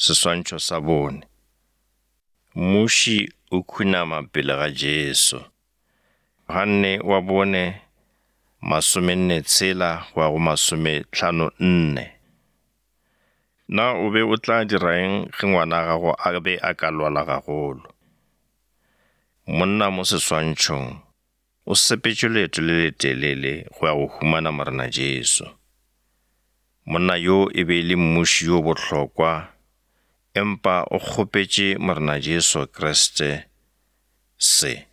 Seswantšho sa bone. Mmuši o khunama pele ga Jesu. Johanne wa bone, masomenne tshela go ya go masometlhano nne. Na o be o tla dira eng ge ngwana gago a be a ka lwala gagolo? Monna mo seswantšhong o sepetše leeto le letelele go ya go humana Morena Jesu. Monna yo e be e le mmuši yo bohlokwa, empa o kgopetše Morena Jesu Kriste se,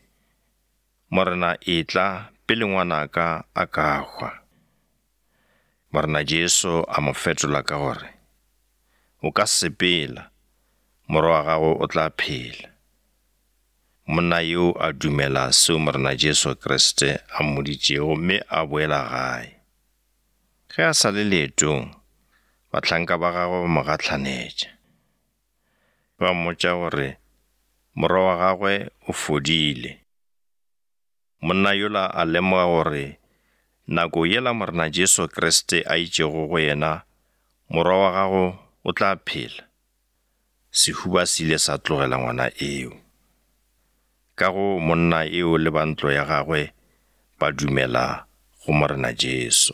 Morena etla pele ngwanaka a ka hwa. Morena Jesu a mo fetola ka gore, O ka sepela, morwa wa gago o tla phela. Monna yo a dumela seo Morena Jesu Kriste a mmoditšego mme a boela gae. Ge a sa le leetong, bahlanka ba gagwe ba mo gahlanetša. Ba mmotša gore morwa wa gagwe o fodile. Monna yola a lemoga gore nako yela Morena Jesu Kriste a itšego go yena, Morwa wa gago o tla phela, sehuba se ile sa tlogela ngwana eo. Ka go monna eo le ba ntlo ya gagwe ba dumela go Morena Jesu.